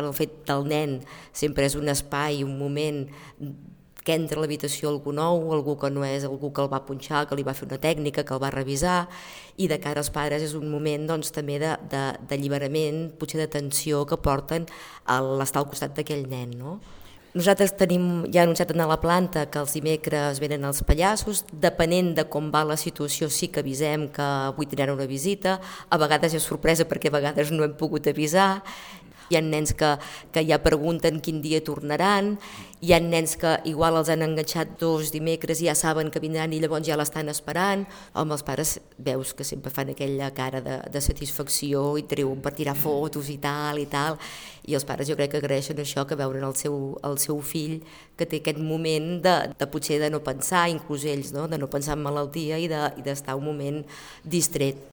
el fet del nen sempre és un espai, un moment que entra a l'habitació algú nou, algú que no és algú que el va punxar, que li va fer una tècnica, que el va revisar, i de cara als pares és un moment doncs, també d'alliberament, potser de tensió que porten a l'estar al costat d'aquell nen, no? Nosaltres tenim ja anunciat a la planta que els dimecres venen els pallassos, depenent de com va la situació sí que avisem que avui tindran una visita, a vegades és sorpresa perquè a vegades no hem pogut avisar, hi ha nens que ja pregunten quin dia tornaran, hi ha nens que igual els han enganxat 2 dimecres i ja saben que vindran i llavors ja l'estan esperant. Home, els pares veus que sempre fan aquella cara de satisfacció i treuen per tirar fotos i tal, i els pares jo crec que agraeixen això, que veuren el seu fill que té aquest moment de potser de no pensar, inclús ells, no? De no pensar en malaltia i d'estar un moment distret.